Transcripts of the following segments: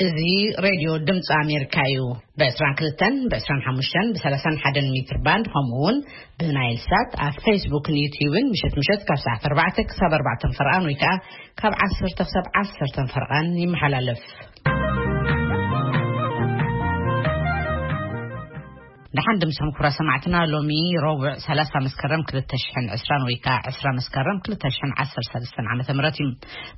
እዚ ሬድዮ ድምፂ ኣሜሪካ እዩ። ብ22፣ ብ25፣ ብ31 ሜትር ባንድ፣ ከምኡ እውን ብናይል ሳት ኣብ ፌስቡክን ዩቲዩብን ምሸት ምሸት ካብ ሰዓት 4 ክሳብ 4 ፈርቓን ወይ ከዓ ካብ 10 ክሳብ 10 ፈርቓን ይመሓላለፍ። ደሓን ድምሰም ክቡራ ሰማዕትና፣ ሎሚ ረቡዕ 30 መስከረም 2020 ወይ ከዓ 20 መስከረም 2013 ዓመተ ምህረት እዩ።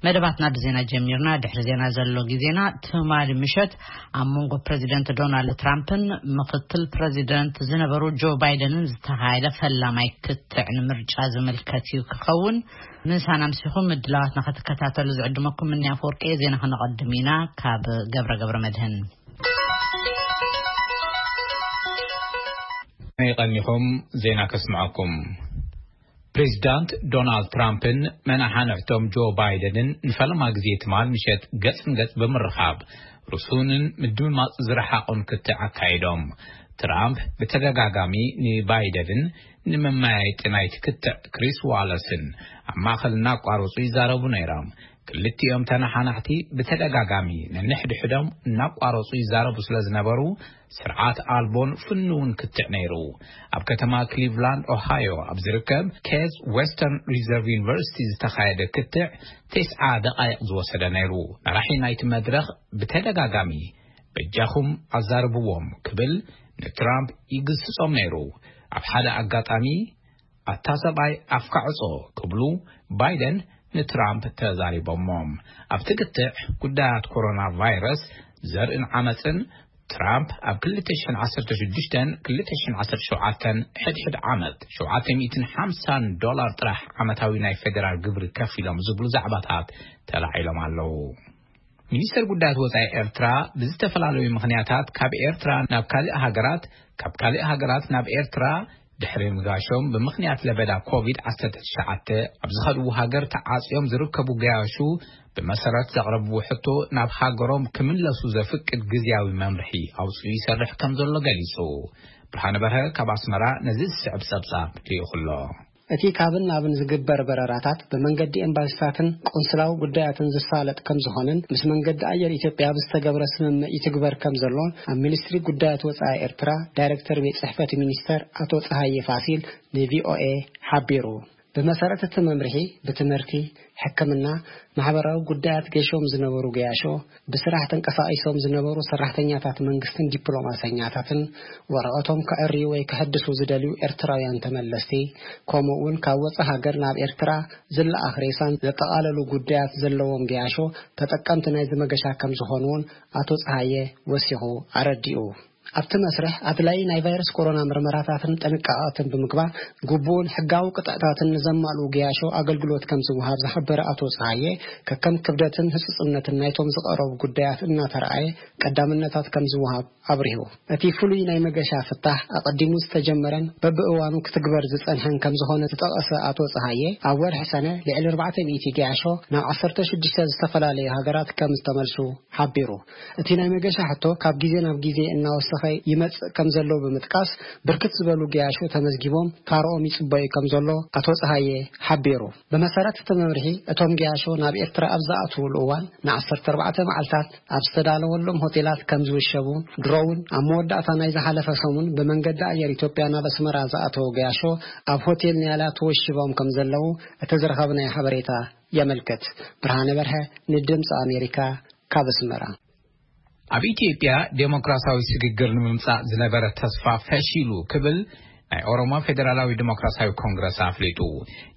መደባትና ብዜና ጀሚርና። ድሕሪ ዜና ዘሎ ግዜና ትማሊ ምሸት ኣብ መንጎ ፕሬዚደንት ዶናልድ ትራምፕን ምክትል ፕሬዚደንት ዝነበሩ ጆ ባይደንን ዝተኻየደ ፈላማይ ክትዕ ንምርጫ ዝምልከት እዩ ክኸውን። ምሳና ምሲኹም ምድላዋትና ክትከታተሉ ዝዕድመኩም ምንያ ኣፈወርቂ። ዜና ክነቐድም ኢና ካብ ገብረ ገብረ መድህን። ይቐኒኹም። ዜና ከስምዐኩም። ፕሬዚዳንት ዶናልድ ትራምፕን መናሓንሕቶም ጆ ባይደንን ንፈለማ ግዜ ትማል ምሸት ገጽ ንገጽ ብምርኻብ ርሱንን ምድምማጽ ዝረሓቑን ክትዕ ኣካይዶም። ትራምፕ ብተደጋጋሚ ንባይደንን ንመመያየጢ ናይቲ ክትዕ ክሪስ ዋለስን ኣብ ማእኸል እናቋረጹ ይዛረቡ ነይሮም። ክልቲኦም ተነሓናሕቲ ብተደጋጋሚ ነንሕድሕዶም እናቋረጹ ይዛረቡ ስለ ዝነበሩ፣ ስርዓት ኣልቦን ፍኑውን ክትዕ ነይሩ። ኣብ ከተማ ክሊቭላንድ ኦሃዮ ኣብ ዝርከብ ኬዝ ዌስተርን ሪዘርቭ ዩኒቨርሲቲ ዝተኻየደ ክትዕ ተስዓ ደቓይቕ ዝወሰደ ነይሩ። መራሒ ናይቲ መድረኽ ብተደጋጋሚ በጃኹም ኣዛርብዎም ክብል ንትራምፕ ይግስጾም ነይሩ። ኣብ ሓደ ኣጋጣሚ ኣታ ሰብኣይ ኣፍካ ዕጾ ክብሉ ባይደን ንትራምፕ ተዛሪቦሞም። ኣብቲ ክትዕ ጉዳያት ኮሮና ቫይረስ፣ ዘርእን ዓመፅን ትራምፕ ኣብ 2016ን 2017 ሕድሕድ ዓመት 750 ዶላር ጥራሕ ዓመታዊ ናይ ፌዴራል ግብሪ ከፊሎም ዝብሉ ዛዕባታት ተላዒሎም ኣለዉ። ሚኒስተር ጉዳያት ወጻኢ ኤርትራ ብዝተፈላለዩ ምኽንያታት ካብ ኤርትራ ናብ ካልእ ሃገራት፣ ካብ ካልእ ሃገራት ናብ ኤርትራ ድሕሪ ምጋሾም ብምኽንያት ለበዳ ኮቪድ-19 ኣብ ዝኸድዎ ሃገር ተዓጽዮም ዝርከቡ ገያሹ ብመሰረት ዘቕረብዎ ሕቶ ናብ ሃገሮም ክምለሱ ዘፍቅድ ግዝያዊ መምርሒ ኣውጽኡ ይሰርሕ ከም ዘሎ ገሊጹ። ብርሃነ በርሀ ካብ ኣስመራ ነዚ ዝስዕብ ጸብጻብ ልኢኹ ኣሎ። እቲ ካብን ናብን ዝግበር በረራታት ብመንገዲ ኤምባሲታትን ቆንስላዊ ጉዳያትን ዝሳለጥ ከም ዝኾነን ምስ መንገዲ ኣየር ኢትዮጵያ ብዝተገብረ ስምምዕ ይትግበር ከም ዘሎን ኣብ ሚኒስትሪ ጉዳያት ወጻኢ ኤርትራ ዳይሬክተር ቤት ጽሕፈት ሚኒስተር ኣቶ ጸሃየ ፋሲል ንቪኦኤ ሓቢሩ። ብመሰረት እቲ መምርሒ ብትምህርቲ፣ ሕክምና፣ ማሕበራዊ ጉዳያት ገሾም ዝነበሩ ገያሾ፣ ብስራሕ ተንቀሳቒሶም ዝነበሩ ሰራሕተኛታት መንግስትን ዲፕሎማሰኛታትን ወረቐቶም ከዕርዩ ወይ ከሐድሱ ዝደልዩ ኤርትራውያን ተመለስቲ፣ ከምኡ እውን ካብ ወጻኢ ሃገር ናብ ኤርትራ ዝለኣኽ ሬሳን ዘጠቓለሉ ጉዳያት ዘለዎም ገያሾ ተጠቀምቲ ናይዚ መገሻ ከም ዝኾኑ እውን ኣቶ ጸሃየ ወሲኹ ኣረዲኡ። ኣብቲ መስርሕ ኣድላዪ ናይ ቫይረስ ኮሮና ምርመራታትን ጥንቃቐትን ብምግባር ግቡእን ሕጋዊ ቅጥዕታትን ንዘማልኡ ገያሾ ኣገልግሎት ከም ዝወሃብ ዝሓበረ ኣቶ ጸሃየ፣ ከከም ክብደትን ህጹጽነትን ናይቶም ዝቐረቡ ጉዳያት እናተረኣየ ቀዳምነታት ከም ዝወሃብ ኣብሪሁ። እቲ ፍሉይ ናይ መገሻ ፍታሕ ኣቐዲሙ ዝተጀመረን በብእዋኑ ክትግበር ዝጸንሐን ከም ዝኾነ ዝጠቐሰ ኣቶ ጸሃየ፣ ኣብ ወርሒ ሰነ ልዕሊ 400 ገያሾ ናብ 16 ዝተፈላለዩ ሃገራት ከም ዝተመልሱ ሓቢሩ። እቲ ናይ መገሻ ሕቶ ካብ ግዜ ናብ ግዜ እናወሰኸ ይመጽእ ከም ዘሎ ብምጥቃስ፣ ብርክት ዝበሉ ገያሾ ተመዝጊቦም ታርኦም ይጽበዩ ከም ዘሎ ኣቶ ጸሃየ ሓቢሩ። ብመሰረት እቲ መምርሒ፣ እቶም ገያሾ ናብ ኤርትራ ኣብ ዝኣትውሉ እዋን ን14 መዓልታት ኣብ ዝተዳለወሎም ሆቴላት ከም ዝውሸቡ፣ ድሮ እውን ኣብ መወዳእታ ናይ ዝሓለፈ ሰሙን ብመንገዲ ኣየር ኢትዮጵያ ናብ ኣስመራ ዝኣተዉ ገያሾ ኣብ ሆቴል ንያላ ተወሺቦም ከም ዘለዉ እቲ ዝረኸብናዮ ሓበሬታ የመልክት። ብርሃነ በርሀ ንድምፂ ኣሜሪካ ካብ ኣስመራ። ኣብ ኢትዮጵያ ዴሞክራሲያዊ ስግግር ንምምጻእ ዝነበረ ተስፋ ፈሺሉ ክብል ናይ ኦሮሞ ፌዴራላዊ ዴሞክራሲያዊ ኮንግረስ ኣፍሊጡ።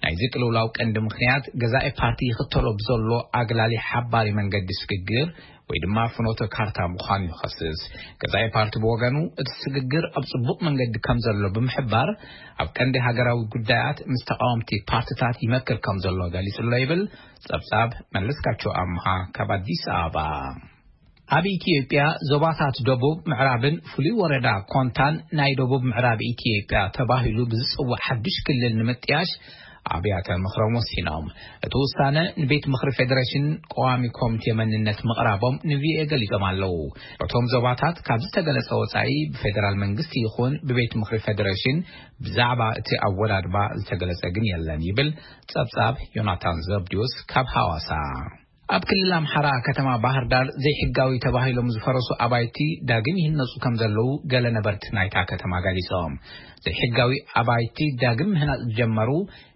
ናይዚ ቅልውላው ቀንዲ ምኽንያት ገዛኢ ፓርቲ ይኽተሎ ብዘሎ ኣግላሊ ሓባሪ መንገዲ ስግግር ወይ ድማ ፍኖተ ካርታ ምዃኑ ይኸስስ። ገዛኢ ፓርቲ ብወገኑ እቲ ስግግር ኣብ ጽቡቕ መንገዲ ከም ዘሎ ብምሕባር፣ ኣብ ቀንዲ ሃገራዊ ጉዳያት ምስ ተቃወምቲ ፓርትታት ይመክር ከም ዘሎ ገሊጹ ኣሎ ይብል ጸብጻብ መለስካቸው ኣምሃ ካብ ኣዲስ ኣበባ። ኣብ ኢትዮጵያ ዞባታት ደቡብ ምዕራብን ፍሉይ ወረዳ ኮንታን ናይ ደቡብ ምዕራብ ኢትዮጵያ ተባሂሉ ብዝጽዋዕ ሓድሽ ክልል ንምጥያሽ ኣብያተ ምኽሮም ወሲኖም። እቲ ውሳነ ንቤት ምኽሪ ፌዴሬሽን ቀዋሚ ኮሚቴ መንነት ምቕራቦም ንቪኦኤ ገሊጾም ኣለዉ። እቶም ዞባታት ካብ ዝተገለጸ ወጻኢ ብፌዴራል መንግስቲ ይኹን ብቤት ምኽሪ ፌዴሬሽን ብዛዕባ እቲ ኣወዳድባ ዝተገለጸ ግን የለን ይብል ጸብጻብ ዮናታን ዘብዲዮስ ካብ ሃዋሳ። ኣብ ክልል ኣምሓራ ከተማ ባህር ዳር ዘይሕጋዊ ተባሂሎም ዝፈረሱ ኣባይቲ ዳግም ይህነጹ ከም ዘለዉ ገለ ነበርቲ ናይታ ከተማ ገሊጾም። ዘይሕጋዊ ኣባይቲ ዳግም ምህናጽ ዝጀመሩ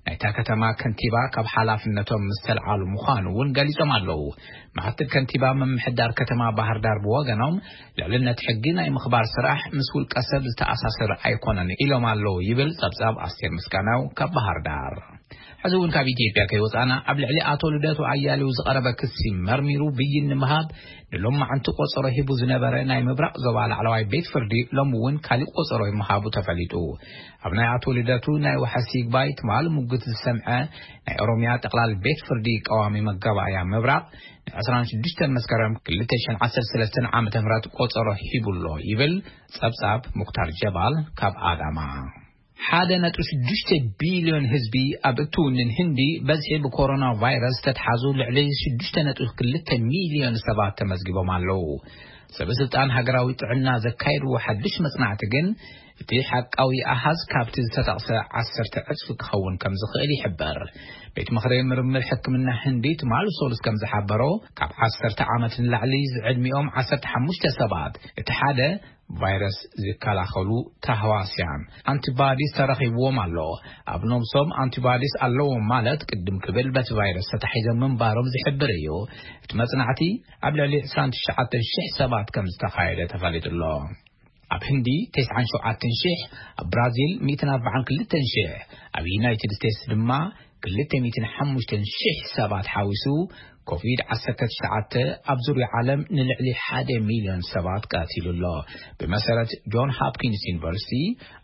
ናይታ ከተማ ከንቲባ ካብ ሓላፍነቶም ምስ ተልዓሉ ምዃኑ እውን ገሊጾም ኣለዉ። ምክትል ከንቲባ ምምሕዳር ከተማ ባህር ዳር ብወገኖም፣ ልዕልነት ሕጊ ናይ ምኽባር ስራሕ ምስ ውልቀ ሰብ ዝተኣሳሰረ ኣይኮነን ኢሎም ኣለዉ ይብል ጸብጻብ ኣስቴር ምስጋናው ካብ ባህር ዳር። ሕዚ እውን ካብ ኢትዮጵያ ከይወጻና፣ ኣብ ልዕሊ ኣቶ ልደቱ ኣያሌው ዝቐረበ ክሲ መርሚሩ ብይን ንምሃብ ንሎማዓንቲ ቆጸሮ ሂቡ ዝነበረ ናይ ምብራቕ ዞባ ላዕለዋይ ቤት ፍርዲ፣ ሎም እውን ካሊእ ቆጸሮ ምሃቡ ተፈሊጡ። ኣብ ናይ ኣቶ ልደቱ ናይ ዋሕስ ይግባይ ትማል ሙግት ዝሰምዐ ናይ ኦሮምያ ጠቕላል ቤት ፍርዲ ቀዋሚ መጋባእያ ምብራቕ፣ ን ዕስራን ሽዱሽተን መስከረም ክልተ ሽሕን ዓሰርተ ሰለስተን ዓመተ ምህረት ቆጸሮ ሂቡሎ ይብል ጸብጻብ ሙክታር ጀባል ካብ ኣዳማ። ሓደ ነጥቢ ሽዱሽተ ቢልዮን ህዝቢ ኣብ እትውንን ህንዲ፣ በዝሒ ብኮሮና ቫይረስ ተትሓዙ ልዕሊ ሽዱሽተ ነጥቢ ክልተ ሚልዮን ሰባት ተመዝጊቦም ኣለዉ። ሰበ ስልጣን ሃገራዊ ጥዕና ዘካየድዎ ሓድሽ መጽናዕቲ ግን፣ እቲ ሓቃዊ ኣሃዝ ካብቲ ዝተጠቕሰ ዓሰርተ ዕጽፊ ክኸውን ከም ዝኽእል ይሕበር። ቤት ምኽሪ ምርምር ሕክምና ህንዲ ትማል ሶሉስ ከም ዝሓበሮ፣ ካብ ዓሰርተ ዓመት ንላዕሊ ዝዕድሚኦም ዓሰርተ ሓሙሽተ ሰባት፣ እቲ ሓደ ቫይረስ ዝከላኸሉ ተህዋስያን፣ ኣንቲባዲስ ተረኺብዎም ኣሎ። ኣብ ነብሶም ኣንቲባዲስ ኣለዎም ማለት፣ ቅድም ክብል በቲ ቫይረስ ተታሒዞም ምንባሮም ዝሕብር እዩ። እቲ መጽናዕቲ ኣብ ልዕሊ ዕስራን ትሽዓተን ሽሕ ሰባት ከም ዝተኻየደ ተፈሊጡ ኣሎ። ኣብ ህንዲ ተስዓን ሸውዓተን ሽሕ፣ ኣብ ብራዚል ሚእትን ኣርባዓን ክልተን ሽሕ፣ ኣብ ዩናይትድ ስቴትስ ድማ ክልተ ሚእትን ሓሙሽተን ሽሕ ሰባት ሓዊሱ፣ ኮቪድ ዓሰርተ ትሽዓተ ኣብ ዙርያ ዓለም ንልዕሊ ሓደ ሚልዮን ሰባት ቀቲሉ ኣሎ። ብመሰረት ጆን ሆፕኪንስ ዩኒቨርሲቲ፣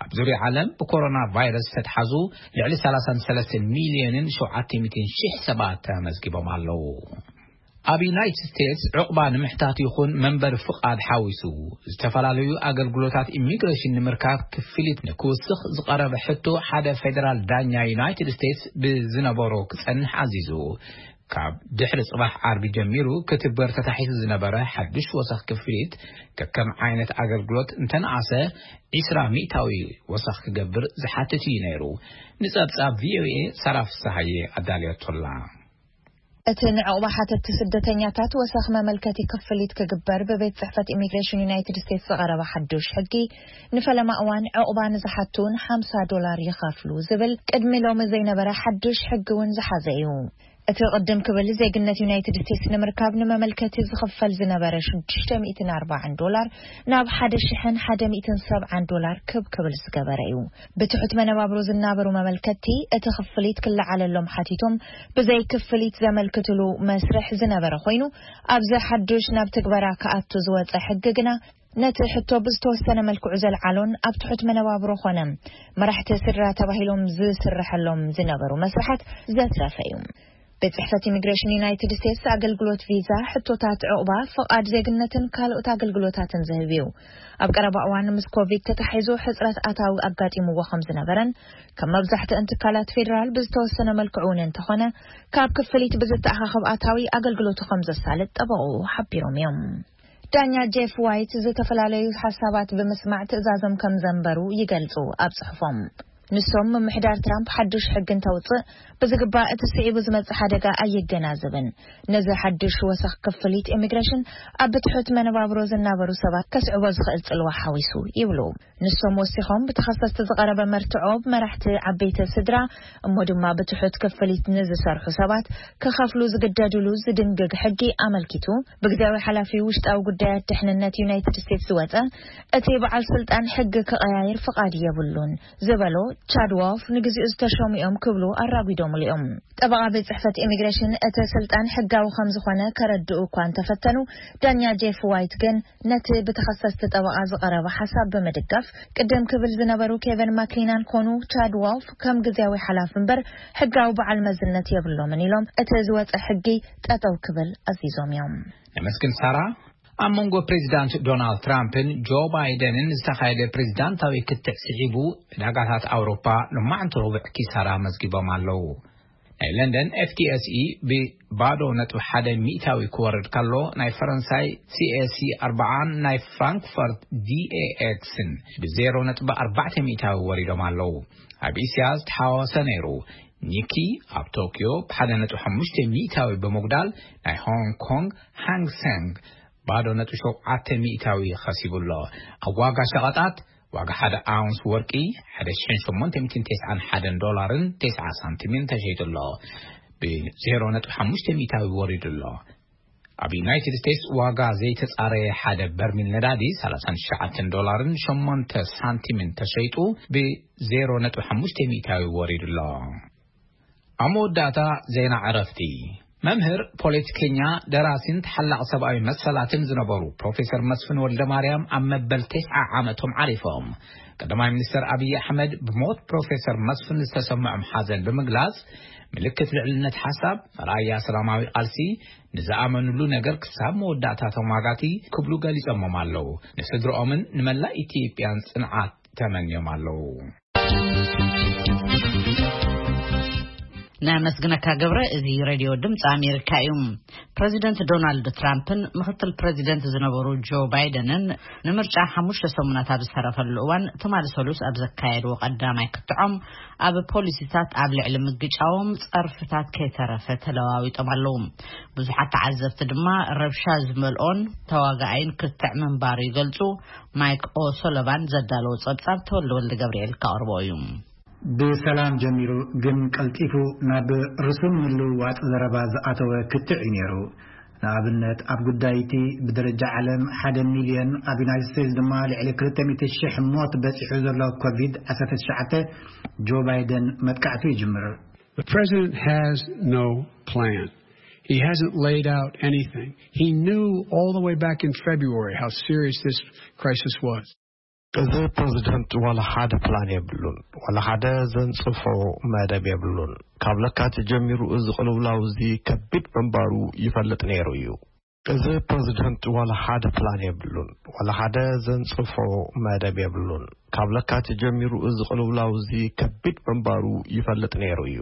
ኣብ ዙርያ ዓለም ብኮሮና ቫይረስ ዝተትሓዙ ልዕሊ ሰላሳን ሰለስተን ሚልዮንን ሸውዓተ ሚእትን ሽሕ ሰባት ተመዝጊቦም ኣለዉ። ኣብ ዩናይትድ ስቴትስ ዕቑባ ንምሕታት ይኹን መንበሪ ፍቓድ ሓዊሱ፣ ዝተፈላለዩ ኣገልግሎታት ኢሚግሬሽን ንምርካብ ክፍሊት ንክውስኽ ዝቐረበ ሕቶ ሓደ ፌደራል ዳኛ ዩናይትድ ስቴትስ ብዝነበሮ ክጸንሕ ኣዚዙ። ካብ ድሕሪ ጽባሕ ዓርቢ ጀሚሩ ክትግበር ተታሒሱ ዝነበረ ሓድሽ ወሰኽ ክፍሊት፣ ከከም ዓይነት ኣገልግሎት እንተነኣሰ ዒስራ ሚእታዊ ወሰኽ ክገብር ዝሓትት እዩ ነይሩ። ንጸብጻብ ቪኦኤ ሰራ ፍስሃየ ኣዳልየቶላ። እቲ ንዕቑባ ሓተቲ ስደተኛታት ወሰኽ መመልከቲ ክፍሊት ክግበር ብቤት ጽሕፈት ኢሚግሬሽን ዩናይትድ ስቴትስ ዝቐረበ ሓዱሽ ሕጊ፣ ንፈለማ እዋን ዕቑባ ንዝሓቱ ን ሓምሳ ዶላር ይኸፍሉ ዝብል ቅድሚ ሎሚ ዘይነበረ ሓዱሽ ሕጊ እውን ዝሓዘ እዩ። እቲ ቅድም ክብል ዜግነት ዩናይትድ ስቴትስ ንምርካብ ንመመልከቲ ዝኽፈል ዝነበረ ሽዱሽተ ሚእትን ኣርባዓን ዶላር ናብ ሓደ ሽሕን ሓደ ሚእትን ሰብዓን ዶላር ክብ ክብል ዝገበረ እዩ። ብትሑት መነባብሮ ዝናበሩ መመልከቲ እቲ ክፍሊት ክለዓለሎም ሓቲቶም ብዘይ ክፍሊት ዘመልክትሉ መስርሕ ዝነበረ ኮይኑ፣ ኣብዚ ሓዱሽ ናብ ትግበራ ክኣቱ ዝወጸ ሕጊ ግና ነቲ ሕቶ ብዝተወሰነ መልክዑ ዘልዓሎን ኣብ ትሑት መነባብሮ ኾነ መራሕቲ ስድራ ተባሂሎም ዝስርሐሎም ዝነበሩ መስርሓት ዘትረፈ እዩ። ቤት ጽሕፈት ኢሚግሬሽን ዩናይትድ ስቴትስ ኣገልግሎት ቪዛ፣ ሕቶታት ዕቑባ፣ ፍቓድ ዜግነትን ካልኦት ኣገልግሎታትን ዝህብ እዩ። ኣብ ቀረባ እዋን ምስ ኮቪድ ተታሒዙ ሕጽረት ኣታዊ ኣጋጢምዎ ከም ዝነበረን፣ ከም መብዛሕትአን ትካላት ፌደራል ብዝተወሰነ መልክዑ እውን እንተኾነ፣ ካብ ክፍሊት ብዝተኣኻኸብ ኣታዊ ኣገልግሎቱ ከም ዘሳልጥ ጠበቕኡ ሓቢሮም እዮም። ዳኛ ጄፍ ዋይት ዝተፈላለዩ ሓሳባት ብምስማዕ ትእዛዞም ከም ዘንበሩ ይገልጹ ኣብ ጽሑፎም። ንሶም ምምሕዳር ትራምፕ ሓዱሽ ሕጊ እንተውጽእ ብዝግባእ እቲ ስዒቡ ዝመጽእ ሓደጋ ኣየገናዝብን፣ ነዚ ሓዱሽ ወሰኽ ክፍሊት ኢሚግሬሽን ኣብ ብትሑት መነባብሮ ዝናበሩ ሰባት ከስዕቦ ዝኽእል ጽልዋ ሓዊሱ ይብሉ። ንሶም ወሲኾም ብተኸሰስቲ ዝቐረበ መርትዖ ብመራሕቲ ዓበይቲ ስድራ እሞ ድማ ብትሑት ክፍሊት ንዝሰርሑ ሰባት ክኸፍሉ ዝግደድሉ ዝድንግግ ሕጊ ኣመልኪቱ፣ ብግዜያዊ ሓላፊ ውሽጣዊ ጉዳያት ድሕንነት ዩናይትድ ስቴትስ ዝወጸ እቲ በዓል ስልጣን ሕጊ ክቐያየር ፍቓድ የብሉን ዝበሎ ቻድ ዋልፍ ንግዚኡ ዝተሸሙ እዮም ክብሉ ኣራጒዶምሉ እዮም። ጠበቓ ቤት ጽሕፈት ኢሚግሬሽን እቲ ስልጣን ሕጋዊ ከም ዝኾነ ከረድኡ እኳ እንተፈተኑ፣ ዳኛ ጄፍ ዋይት ግን ነቲ ብተኸሰስቲ ጠበቓ ዝቐረበ ሓሳብ ብምድጋፍ፣ ቅድም ክብል ዝነበሩ ኬቨን ማክሊናን ኮኑ ቻድ ዋልፍ ከም ግዜያዊ ሓላፊ እምበር ሕጋዊ በዓል መዝነት የብሎምን ኢሎም እቲ ዝወጸ ሕጊ ጠጠው ክብል ኣዚዞም እዮም። ነመስግን ሳራ። ኣብ መንጎ ፕሬዚዳንት ዶናልድ ትራምፕን ጆ ባይደንን ዝተኻየደ ፕሬዚዳንታዊ ክትዕ ስዒቡ፣ ዕዳጋታት ኣውሮፓ ሎማዕንቲ ረቡዕ ኪሳራ መዝጊቦም ኣለዉ። ናይ ለንደን ኤፍ ቲ ኤስ ኢ ብባዶ ነጥቢ ሓደ ሚእታዊ ክወርድ ከሎ፣ ናይ ፈረንሳይ ሲ ኤ ሲ ኣርባዓን ናይ ፍራንክፈርት ዲ ኤ ኤክስን ብዜሮ ነጥቢ ኣርባዕተ ሚእታዊ ወሪዶም ኣለዉ። ኣብ እስያ ዝተሓዋወሰ ነይሩ። ኒኪ ኣብ ቶኪዮ ብ ሓደ ነጥቢ ሓሙሽተ ሚእታዊ ብምጉዳል፣ ናይ ሆንግ ኮንግ ሃንግ ሰንግ ባዶ ነጥቢ ሸውዓተ ሚእታዊ ከሲቡ ኣሎ። ኣብ ዋጋ ሸቐጣት፣ ዋጋ ሓደ ኣውንስ ወርቂ ሓደ ሽሕን ሸሞንተ ሚእትን ተስዓን ሓደን ዶላርን ተስዓ ሳንቲምን ተሸይጡ ኣሎ። ብ ዜሮ ነጥቢ ሓሙሽተ ሚእታዊ ወሪዱ ኣሎ። ኣብ ዩናይትድ ስቴትስ ዋጋ ዘይተጻረየ ሓደ በርሚል ነዳዲ ሰላሳን ትሽዓተን ዶላርን ሸሞንተ ሳንቲምን ተሸይጡ ብ ዜሮ ነጥቢ ሓሙሽተ ሚእታዊ ወሪዱ ኣሎ። ኣብ መወዳእታ ዜና ዕረፍቲ። መምህር፣ ፖለቲከኛ፣ ደራሲን ተሓላቕ ሰብኣዊ መሰላትን ዝነበሩ ፕሮፌሰር መስፍን ወልደ ማርያም ኣብ መበል ተስዓ ዓመቶም ዓሪፎም። ቀዳማይ ሚኒስትር ኣብይ ኣሕመድ ብሞት ፕሮፌሰር መስፍን ዝተሰምዖም ሓዘን ብምግላጽ፣ ምልክት ልዕልነት ሓሳብ፣ መርኣያ ሰላማዊ ቃልሲ፣ ንዝኣመኑሉ ነገር ክሳብ መወዳእታ ተሟጋቲ ክብሉ ገሊጾሞም ኣለዉ። ንስድርኦምን ንመላእ ኢትዮጵያን ጽንዓት ተመንዮም ኣለዉ። ነመስግነካ ገብረ። እዚ ሬድዮ ድምፂ ኣሜሪካ እዩ። ፕረዚደንት ዶናልድ ትራምፕን ምክትል ፕረዚደንት ዝነበሩ ጆ ባይደንን ንምርጫ ሓሙሽተ ሰሙናት ኣብ ዝተረፈሉ እዋን፣ ትማሊ ሰሉስ ኣብ ዘካየድዎ ቀዳማይ ክትዖም፣ ኣብ ፖሊሲታት ኣብ ልዕሊ ምግጫዎም ጸርፍታት ከይተረፈ ተለዋዊጦም ኣለዉ። ብዙሓት ተዓዘብቲ ድማ ረብሻ ዝመልኦን ተዋጋኣይን ክትዕ ምንባሩ ይገልጹ። ማይክ ኦሶሎቫን ዘዳለዎ ጸብጻብ ተወልደ ወልደ ገብርኤል ከቕርቦ እዩ። ብሰላም ጀሚሩ፣ ግን ቀልጢፉ ናብ ርሱን ምልውዋጥ ዘረባ ዝኣተወ ክትዕ እዩ ነይሩ። ንኣብነት፣ ኣብ ጉዳይ እቲ ብደረጃ ዓለም ሓደ ሚልዮን፣ ኣብ ዩናይትድ ስቴትስ ድማ ልዕሊ ክልተ ሚእቲ ሽሕ ሞት በጺሑ ዘሎ ኮቪድ ዓሰርተ ትሽዓተ፣ ጆ ባይደን መጥቃዕቱ ይጅምር። The president has no plan. He hasn't laid out anything. He knew all the way back in February how serious this crisis was. እዚ ፕረዚደንት ዋላ ሓደ ፕላን የብሉን፣ ዋላ ሓደ ዘንጽፎ መደብ የብሉን። ካብ ለካቲት ጀሚሩ እዚ ቅልውላው እዚ ከቢድ ምንባሩ ይፈልጥ ነይሩ እዩ። እዚ ፕረዚደንት ዋላ ሓደ ፕላን የብሉን፣ ዋላ ሓደ ዘንጽፎ መደብ የብሉን። ካብ ለካቲት ጀሚሩ እዚ ቅልውላው እዚ ከቢድ ምንባሩ ይፈልጥ ነይሩ እዩ።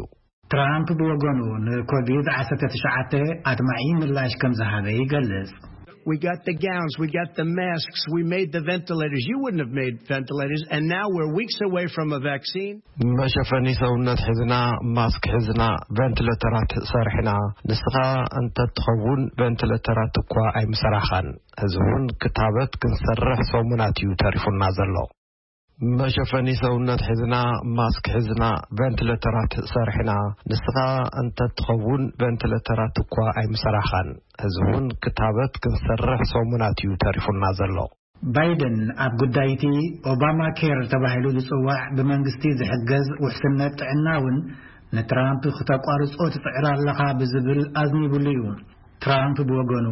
ትራምፕ ብወገኑ፣ ንኮቪድ ዓሰርተ ትሽዓተ ኣድማዒ ምላሽ ከም ዝሃበ ይገልጽ። We got the gowns, we got the masks, we made the ventilators. You wouldn't have made ventilators, and now we're weeks away from a vaccine. መሸፈኒ ሰውነት ሒዝና፣ ማስክ ሒዝና፣ ቨንቲሌተራት ሰሪሕና። ንስኻ እንተትኸውን ቨንቲሌተራት እኳ ኣይምሰራሕኻን። ሕዚ እውን ክታበት ክንሰርሕ ሰሙናት እዩ ተሪፉና ዘሎ። መሸፈኒ ሰውነት ሒዝና፣ ማስክ ሒዝና፣ ቨንቲሌተራት ሰሪሕና። ንስኻ እንተትኸውን ቨንቲሌተራት እኳ ኣይምሰራሕኻን። ሕዚ እውን ክታበት ክንሰርሕ ሰሙናት እዩ ተሪፉና ዘሎ። ባይደን ኣብ ጉዳይ እቲ ኦባማ ኬር ተባሂሉ ዝጽዋዕ ብመንግስቲ ዝሕገዝ ውሕስነት ጥዕና እውን ንትራምፕ ክተቋርጾ ትጽዕር ኣለኻ ብዝብል ኣዝኒቡሉ እዩ። ትራምፕ ብወገኑ፣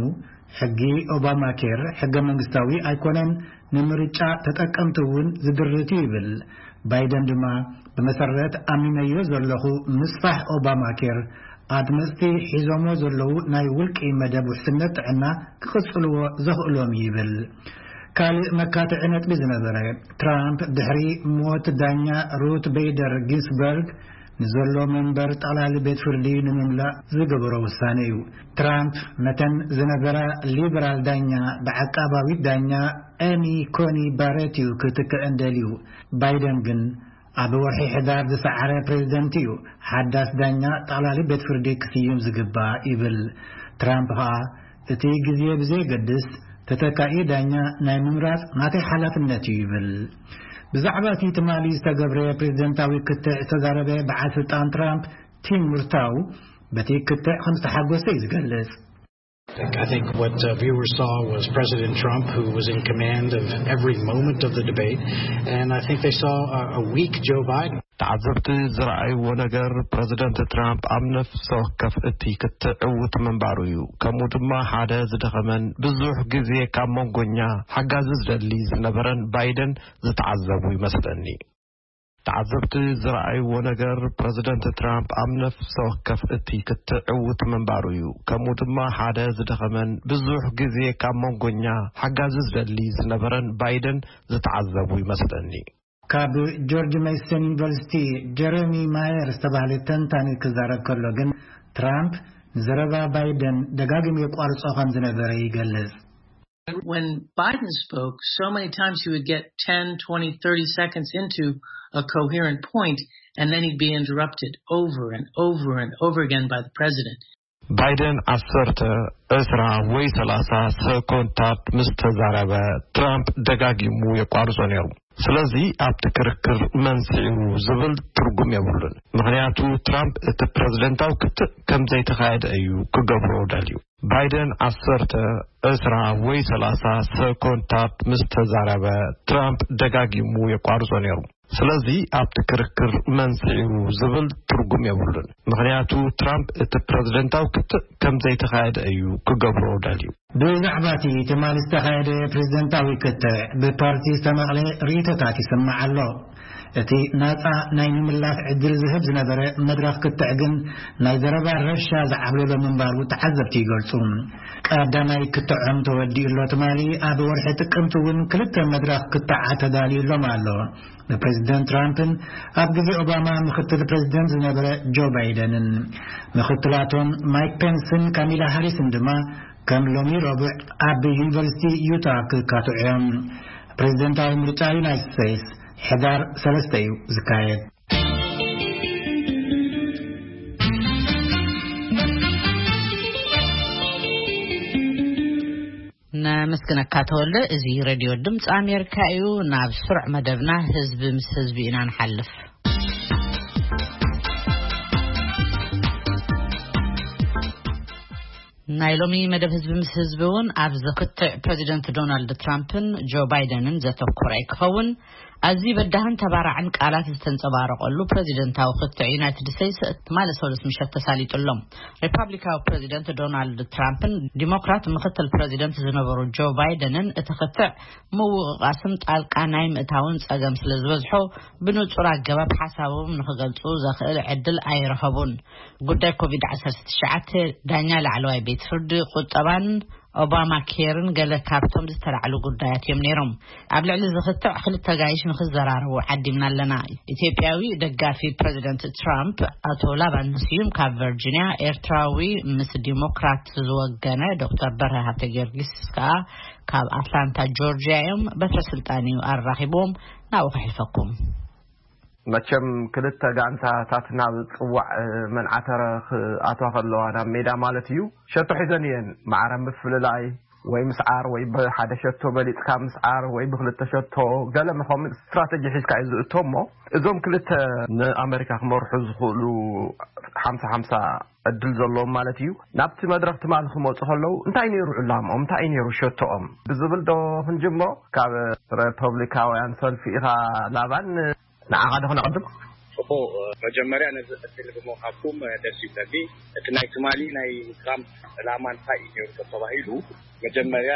ሕጊ ኦባማ ኬር ሕገ መንግስታዊ ኣይኮነን፣ ንምርጫ ተጠቀምቲ እውን ዝድርት እዩ ይብል። ባይደን ድማ፣ ብመሰረት ኣሚነዮ ዘለኹ ምስፋሕ ኦባማ ኬር፣ ኣድመፅቲ ሒዞሞ ዘለዉ ናይ ውልቂ መደብ ውሕስነት ጥዕና ክቕጽልዎ ዘኽእሎም ይብል። ካልእ መካትዒ ነጥቢ ዝነበረ፣ ትራምፕ ድሕሪ ሞት ዳኛ ሩት ቤይደር ጊንስበርግ ንዘሎ መንበር ጠቕላሊ ቤት ፍርዲ ንምምላእ ዝገበሮ ውሳነ እዩ። ትራምፕ ነተን ዝነበራ ሊበራል ዳኛ ብዓቃባዊት ዳኛ ኤሚ ኮኒ ባሬት እዩ ክትክእን ደልዩ። ባይደን ግን ኣብ ወርሒ ሕዳር ዝሰዓረ ፕሬዝደንት እዩ ሓዳስ ዳኛ ጠቕላሊ ቤት ፍርዲ ክስይም ዝግባእ ይብል። ትራምፕ ኸኣ እቲ ግዜ ብዘየገድስ ተተካኢ ዳኛ ናይ ምምራጽ ናተይ ሓላፍነት እዩ ይብል። ብዛዕባ እቲ ትማሊ ዝተገብረ ፕሬዝደንታዊ ክትዕ ዝተዛረበ በዓል ስልጣን ትራምፕ ቲም ሙርታው በቲ ክትዕ ከም ዝተሓጎሰ እዩ ዝገልጽ። I think what uh, viewers saw was President Trump, who was in command of every moment of the debate, and I think they saw a, a weak Joe Biden. ተዓዘብቲ ዝረኣይዎ ነገር ፕረዚደንት ትራምፕ ኣብ ነፍሲ ወከፍ እቲ ክትዕ ዕዉት ምንባሩ እዩ። ከምኡ ድማ ሓደ ዝደኸመን ብዙሕ ግዜ ካብ መንጎኛ ሓጋዚ ዝደሊ ዝነበረን ባይደን ዝተዓዘቡ ይመስለኒ። ተዓዘብቲ ዝረኣይዎ ነገር ፕረዚደንት ትራምፕ ኣብ ነፍሲ ወከፍ እቲ ክትዕ ዕዉት ምንባሩ እዩ። ከምኡ ድማ ሓደ ዝደኸመን ብዙሕ ግዜ ካብ መንጎኛ ሓጋዚ ዝደሊ ዝነበረን ባይደን ዝተዓዘቡ ይመስለኒ። ካብ ጆርጅ ሜሰን ዩኒቨርሲቲ ጀረሚ ማየር ዝተባህለ ተንታኒ ክዛረብ ከሎ ግን፣ ትራምፕ ንዘረባ ባይደን ደጋጊሙ የቋርጾ ከም ዝነበረ ይገልጽ። When Biden spoke, so many times he would get ten, twenty, thirty seconds into a coherent point, and then he'd be interrupted over and over and over again by the president. ባይደን ዓሰርተ፣ ዕስራ ወይ ሰላሳ ሰኮንታት ምስ ተዛረበ፣ ትራምፕ ደጋጊሙ የቋርጾ ነይሩ። ስለዚ ኣብቲ ክርክር መን ስዒሩ ዝብል ትርጉም የብሉን። ምኽንያቱ ትራምፕ እቲ ፕረዚደንታዊ ክትዕ ከም ዘይተኻየደ እዩ ክገብሮ ደልዩ። ባይደን ዓሰርተ፣ ዕስራ ወይ ሰላሳ ሰኮንታት ምስ ተዛረበ፣ ትራምፕ ደጋጊሙ የቋርጾ ነይሩ። ስለዚ ኣብቲ ክርክር መን ስዒሩ ዝብል ትርጉም የብሉን። ምኽንያቱ ትራምፕ እቲ ፕረዚደንታዊ ክትዕ ከም ዘይተኻየደ እዩ ክገብሮ ደልዩ። ብዛዕባ እቲ ትማሊ ዝተኻየደ ፕሬዝደንታዊ ክትዕ ብፓርቲ ዝተመቕለ ርእይቶታት ይስማዕ ኣሎ። እቲ ናጻ ናይ ምምላስ ዕድል ዝህብ ዝነበረ መድረኽ ክትዕ ግን ናይ ዘረባ ረብሻ ዝዓብለሎ ምንባሩ ተዓዘብቲ ይገልጹ። ቀዳማይ ክትዖም ተወዲኡ ኣሎ ትማሊ። ኣብ ወርሒ ጥቅምቲ እውን ክልተ መድረኽ ክትዓት ተዳልዩ ኣሎም ኣሎ። ንፕሬዝደንት ትራምፕን ኣብ ግዜ ኦባማ ምኽትል ፕሬዝደንት ዝነበረ ጆ ባይደንን። ምኽትላቶም ማይክ ፔንስን ካሚላ ሃሪስን ድማ ከም ሎሚ ረቡዕ ኣብ ዩኒቨርሲቲ ዩታ ክካትዑ እዮም። ፕሬዝደንታዊ ምርጫ ዩናይትድ ስቴትስ ሕዳር ሰለስተ እዩ ዝካየድ። ነመስግነካ ተወልደ። እዚ ሬድዮ ድምፂ ኣሜሪካ እዩ። ናብ ስሩዕ መደብና ህዝቢ ምስ ህዝቢ ኢና ንሓልፍ። ናይ ሎሚ መደብ ህዝቢ ምስ ህዝቢ እውን ኣብ ዝክትዕ ፕሬዚደንት ዶናልድ ትራምፕን ጆ ባይደንን ዘተኮረ ክኸውን። ኣዝዩ በዳህን ተባራዕን ቃላት ዝተንጸባረቐሉ ፕሬዚደንታዊ ክትዕ ዩናይትድ ስቴትስ ትማሊ ሰሉስ ምሸት ተሳሊጡ ኣሎ። ሪፓብሊካዊ ፕሬዚደንት ዶናልድ ትራምፕን ዲሞክራት ምክትል ፕሬዚደንት ዝነበሩ ጆ ባይደንን እቲ ክትዕ ምውቕቓስን ጣልቃ ናይ ምእታውን ጸገም ስለ ዝበዝሖ ብንጹር ኣገባብ ሓሳቦም ንኽገልጹ ዘኽእል ዕድል ኣይረኸቡን። ጉዳይ ኮቪድ ዓሰርተ ትሽዓተ ዳኛ ላዕለዋይ ቤት ፍርዲ ቁጠባን ኦባማ ኬርን ገለ ካብቶም ዝተላዕሉ ጉዳያት እዮም ነይሮም። ኣብ ልዕሊ ዝኽትዕ ክልተ ጋይሽ ንኽዘራረቡ ዓዲምና ኣለና። ኢትዮጵያዊ ደጋፊ ፕሬዚደንት ትራምፕ ኣቶ ላባን ስዩም ካብ ቨርጂኒያ፣ ኤርትራዊ ምስ ዲሞክራት ዝወገነ ዶክተር በርሀ ሃብተ ጊዮርጊስ ከኣ ካብ ኣትላንታ ጆርጂያ እዮም። በትረ ስልጣን እዩ ኣራኺብዎም። ናብኡ ከሕልፈኩም። መቸም ክልተ ጋንታታት ናብ ጽዋዕ መንዓተረ ክኣትዋ ከለዋ ናብ ሜዳ ማለት እዩ፣ ሸቶ ሒዘን እየን። ማዕረ ምፍልላይ ወይ ምስዓር ወይ ብሓደ ሸቶ በሊጽካ ምስዓር ወይ ብክልተ ሸቶ፣ ገለ ምኸም ስትራተጂ ሒዝካ እዩ ዝእቶ። እሞ እዞም ክልተ ንኣመሪካ ክመርሑ ዝኽእሉ ሓምሳ ሓምሳ ዕድል ዘለዎም ማለት እዩ፣ ናብቲ መድረኽ ትማሊ ክመፁ ከለዉ እንታይ ነይሩ ዕላምኦም? እንታይ እዩ ነይሩ ሸቶኦም ብዝብል ዶ ክንጅምሮ? ካብ ሪፐብሊካውያን ሰልፊ ኢኻ ላባን፣ ንዓኻ ዶ ክነቐድም? ጽቡቕ፣ መጀመርያ ነዚ ዕድል ብምሃብኩም ደስ ይብለኒ። እቲ ናይ ትማሊ ናይ ትራምፕ ዕላማ እንታይ እዩ ነይሩ ተባሂሉ፣ መጀመርያ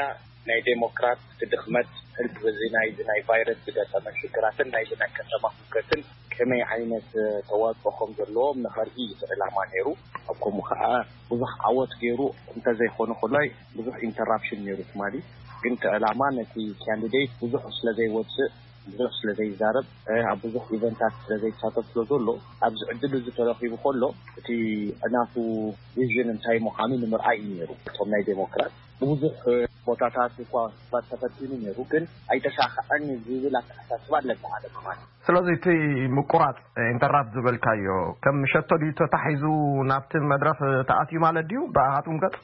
ናይ ዴሞክራት ድኽመት ህልክ በዚ ናይዚ ናይ ቫይረስ ዝገጠመ ሽግራትን ናይዚ ናይ ከተማ ህውከትን ከመይ ዓይነት ተዋጽኦ ከም ዘለዎም ንኸርኢ እዩ እቲ ዕላማ ነይሩ። ኣብ ከምኡ ከኣ ብዙሕ ዓወት ገይሩ እንተዘይኮነ ኮላይ ብዙሕ ኢንተራፕሽን ነይሩ ትማሊ። ግን እቲ ዕላማ ነቲ ካንዲዴት ብዙሕ ስለ ዘይወጽእ፣ ብዙሕ ስለ ዘይዛረብ፣ ኣብ ብዙሕ ኢቨንታት ስለ ዘይሳተፍ ስለ ዘሎ፣ ኣብዚ ዕድል እዚ ተረኺቡ ከሎ እቲ ናቱ ቪዥን እንታይ ምዃኑ ንምርኣይ እዩ ነይሩ። እቶም ናይ ዴሞክራት ብብዙሕ ቦታታት እኳ ክፋት ተፈቲኑ ነይሩ፣ ግን ኣይተሳኽዐን ዝብል ኣተሓሳስባ ኣለካ ሓደ ማለት። ስለዚ እቲ ምቁራጽ ኢንተራፕት ዝበልካዮ ከም ሸቶ ድዩ ተታሒዙ ናብቲ መድረኽ ተኣትዩ ማለት ድዩ ብኣኻትኩም ገጽ?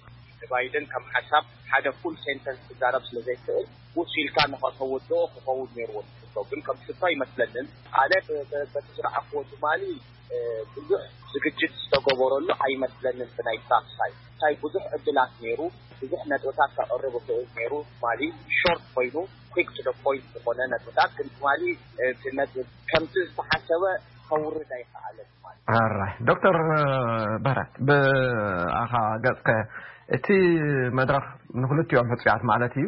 ባይደን ከም ሓሳብ ሓደ ፉል ሴንተንስ ክዛረብ ስለ ዘይክእል ውስ ኢልካ ንኸተወድኦ ክኸውን ነይርዎ። ሽቶ ግን ከም ሽቶ ኣይመስለንን። ኣነ ብ- ብ- በቲ ዝረኣኽዎ ትማሊ እ፣ ብዙሕ ዝግጅት ዝተገበረሉ ኣይመስለንን። ብናይ ትራምፕ ሳይድ እንታይ ብዙሕ ዕድላት ነይሩ፣ ብዙሕ ነጥብታት ከቕርብ ይኽእል ነይሩ። ትማሊ ሾርት ኮይኑ quick to the point ዝኾነ ነጥብታት፣ ግን ትማሊ እቲ ነጥብ ከምቲ ዝተሓሰበ ከውርድ ኣይከኣለን ማለት እዩ። ኣራይ ዶክተር በረት ብኣኻ ገጽከ እቲ መድረኽ ንክልቲኦም ሕጹያት ማለት እዩ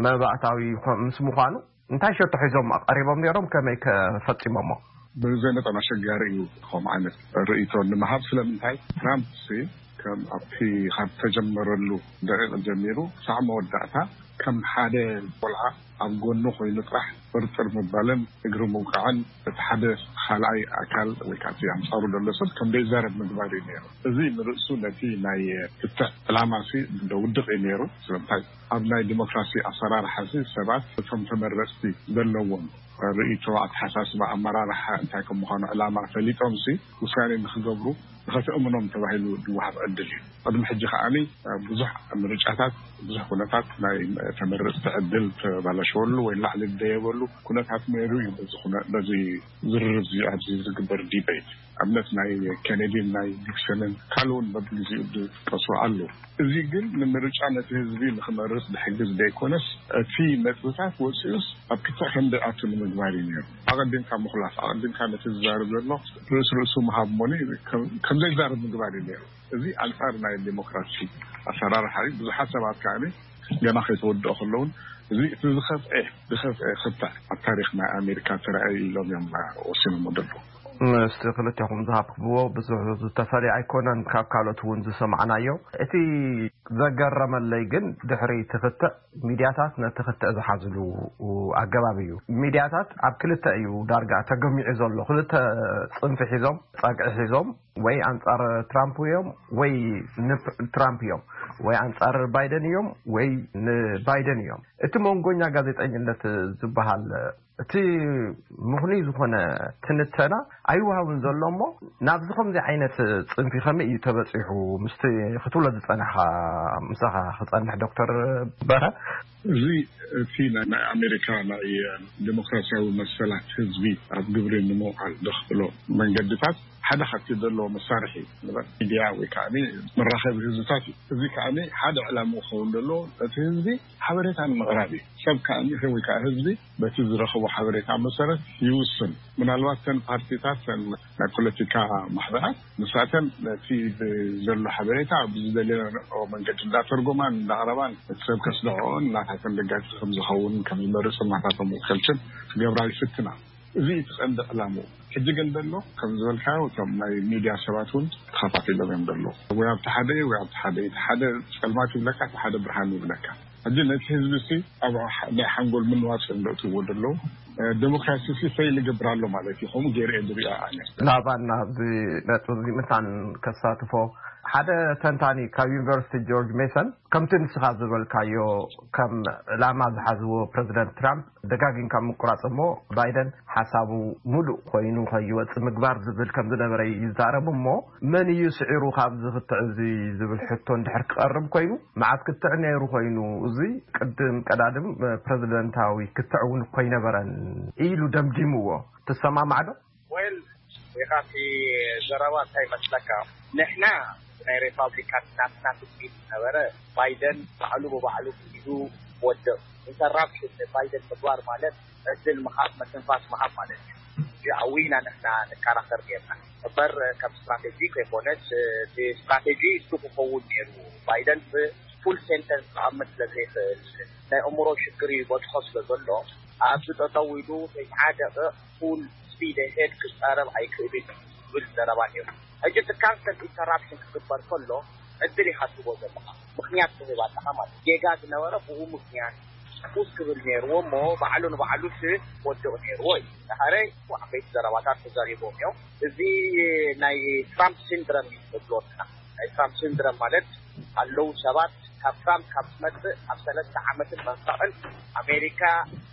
መባእታዊ ምስ ምዃኑ እንታይ ሸቶ ሒዞም ቀሪቦም ነይሮም ከመይ ከፈጺሞሞ? ብዘይ መጠን ኣሸጋሪ እዩ ከምኡ ዓይነት ርእይቶ ንምሃብ። ስለምንታይ ትራምፕ ሲ ከም ኣብቲ ካብ ተጀመረሉ ደቂቕ ጀሚሩ ክሳዕ መወዳእታ ከም ሓደ ቆልዓ ኣብ ጎኑ ኮይኑ ጥራሕ ጥርጥር ምባልን እግሪ ምውቃዕን እቲ ሓደ ካልኣይ ኣካል ወይ ከዓ እቲ ኣንፃሩ ዘሎ ሰብ ከም ዘይዛረብ ምግባር እዩ ነይሩ። እዚ ንርእሱ ነቲ ናይ ክትዕ ዕላማ ሲ ውድቕ እዩ ነይሩ። ስለምንታይ ኣብ ናይ ዲሞክራሲ ኣሰራርሓ ሲ ሰባት እቶም ተመረፅቲ ዘለዎም ርእይቶ፣ ኣተሓሳስባ፣ ኣመራርሓ እንታይ ከም ምዃኑ ዕላማ ፈሊጦም ሲ ውሳኔ ንክገብሩ ንኸተእምኖም ተባሂሉ ዝወሃብ ዕድል እዩ። ቅድሚ ሕጂ ከዓኒ ብዙሕ ምርጫታት፣ ብዙሕ ኩነታት ናይ ተመረፅቲ ዕድል ተባላሸወሉ ወይ ላዕሊ ዝደየበሉ ኩነታት ነይሩ እዩ። በዚ ኩነ-፣ በዚ ዝርርብ እዚ ኣብዚ ዝግበር ዲቤት ኣብነት ናይ ኬኔዲን ናይ ኒክሰንን ካልእ እውን በብግዜኡ ዝጥቀሱ ኣለዉ። እዚ ግን ንምርጫ ነቲ ህዝቢ ንክመርፅ ዝሕግዝ ዘይኮነስ እቲ ነጥብታት ወፂኡስ ኣብ ክትዕ ከም ዘይኣቱ ንምግባር እዩ ነይሩ። ኣቐዲምካ ምኹላፍ፣ ኣቐዲምካ ነቲ ዝዛረብ ዘሎ ርእስ ርእሱ ምሃብ እሞኒ ከም ዘይዛረብ ምግባር እዩ ነይሩ። እዚ ኣንፃር ናይ ዴሞክራሲ ኣሰራርሓ እዩ። ብዙሓት ሰባት ከዓኒ ገና ከይተወድኦ ከለውን እዚ እቲ ዝኸፍኤ ዝኸፍኤ ክታዕ ኣብ ታሪክ ናይ ኣሜሪካ ተራእዩ ኢሎም እዮም ወሲኖሞ ዘለዉ። ምስቲ ክልቴኹም ዝሃብክብዎ ብዙሕ ዝተፈልየ ኣይኮነን ካብ ካልኦት እውን ዝሰማዕናዮ። እቲ ዘገረመለይ ግን ድሕሪ እቲ ክትዕ ሚድያታት ነቲ ክትዕ ዝሓዝሉ ኣገባብ እዩ። ሚድያታት ኣብ ክልተ እዩ ዳርጋ ተገሚዑ ዘሎ። ክልተ ፅንፊ ሒዞም፣ ፀግዒ ሒዞም፣ ወይ ኣንፃር ትራምፕ እዮም ወይ ንትራምፕ እዮም፣ ወይ ኣንፃር ባይደን እዮም ወይ ንባይደን እዮም። እቲ መንጎኛ ጋዜጠኝነት ዝበሃል እቲ ምኽኑይ ዝኾነ ትንተና ኣይወሃብን ዘሎ እሞ ናብዚ ከምዚ ዓይነት ፅንፊ ከመይ እዩ ተበፂሑ ምስቲ ክትብሎ ዝፀናሕካ ምሳኻ ክፀንሕ ዶክተር በረ? እዚ እቲ ናይ ኣሜሪካ ናይ ዲሞክራሲያዊ መሰላት ህዝቢ ኣብ ግብሪ ንምውዓል ዘኽእሎ መንገድታት ሓደ ካብቲ ዘለዎ መሳርሒ ንበል ሚድያ ወይ ከዓ መራኸቢ ህዝብታት እዩ። እዚ ከዓ ሓደ ዕላማ ክኸውን ዘለዎ እቲ ህዝቢ ሓበሬታ ንምቕራብ እዩ። ሰብ ከዓ ወይ ከዓ ህዝቢ በቲ ዝረኸቦ ሓበሬታ መሰረት ይውስን። ምናልባት ተን ፓርቲታት ተን ናይ ፖለቲካ ማሕበራት ንሳተን ነቲ ዘሎ ሓበሬታ ብዝደለዮ መንገዲ እንዳተርጎማን እንዳቕረባን እቲ ሰብ ከስደዖን እናታተን ደጋፊ ከም ዝኸውን ከም ዝመርፅን ናታቶም ውከልትን ክገብራ ይፍትና። እዚ እቲ ቀንዲ ዕላምኡ። ሕጂ ግን ዘሎ ከም ዝበልካዮ እቶም ናይ ሚድያ ሰባት እውን ተኸፋፊሎም እዮም ዘለዉ። ወይ ኣብቲ ሓደ ወይ ኣብቲ ሓደ፣ እቲ ሓደ ፀልማት ይብለካ፣ እቲ ሓደ ብርሃን ይብለካ። ሕጂ ነቲ ህዝቢ ሲ ኣብ ናይ ሓንጎል ምንዋፅ እዮም ዘእትዎ ዘለዉ። ዴሞክራሲ ሲ ፈይል ይገብር ኣሎ ማለት እዩ። ከምኡ ገይረ እየ ዝሪኦ ኣነ። ናባና ኣብዚ ነጥቢ እዚ ምሳን ከሳትፎ ሓደ ተንታኒ ካብ ዩኒቨርሲቲ ጆርጅ ሜሰን ከምቲ ንስኻ ዝበልካዮ ከም ዕላማ ዝሓዝዎ ፕረዚደንት ትራምፕ ደጋጊምካ ምቁራፅ እሞ ባይደን ሓሳቡ ሙሉእ ኮይኑ ከይወፅእ ምግባር ዝብል ከም ዝነበረ ይዛረብ እሞ መን እዩ ስዒሩ ካብዚ ክትዕ እዚ ዝብል ሕቶ እንድሕር ክቐርብ ኮይኑ መዓት ክትዕ ነይሩ ኮይኑ እዚ ቅድም ቀዳድም ፕረዚደንታዊ ክትዕ እውን እኮ ኣይነበረን ኢሉ ደምዲምዎ። ትሰማማዕ ዶ? ወል ኢኻ እቲ ዘረባ እንታይ መስለካ? ንሕና ናይ ሪፓብሊካን ናትና ትፅቢት ዝነበረ ባይደን ባዕሉ ብባዕሉ ሒዙ ወድቕ። ኢንተራፕሽን ንባይደን ምግባር ማለት ዕድል ምሃብ መትንፋስ ምሃብ ማለት እዩ። እዚ ኣዊና ንሕና ንከራኸር ጌርና እበር ከም ስትራቴጂ ከይኮነስ እቲ ስትራቴጂ እሱ ክኸውን ነይሩ። ባይደን ብፉል ሴንተንስ ክኣምን ስለ ዘይኽእል ናይ እምሮ ሽግር ይበፅሖ ስለ ዘሎ ኣብዚ ጠጠው ኢሉ ተስዓ ደቂቕ ፉል ስፒድ ሄድ ክዛረብ ኣይክእልን እዩ ዝብል ዘረባ ነይሩ። ሕጂ እቲ ካንሰል ኢንተራፕሽን ክግበር ከሎ ዕድል ኢኻ ትህቦ ዘለኻ ምኽንያት ትህብ ኣለኻ ማለት ጌጋ ዝነበረ ብኡ ምኽንያት ፉስ ክብል ነይርዎ እሞ ባዕሉ ንባዕሉ ስ ወድቕ ነይርዎ እዩ። ድሓረ ዓበይቲ ዘረባታት ተዛሪቦም እዮም። እዚ ናይ ትራምፕ ሲንድረም እዩ ንብሎ ንሕና። ናይ ትራምፕ ሲንድረም ማለት ኣለዉ ሰባት ካብ ትራምፕ ካብ ዝመፅእ ኣብ ሰለስተ ዓመትን መንፈቕን ኣሜሪካ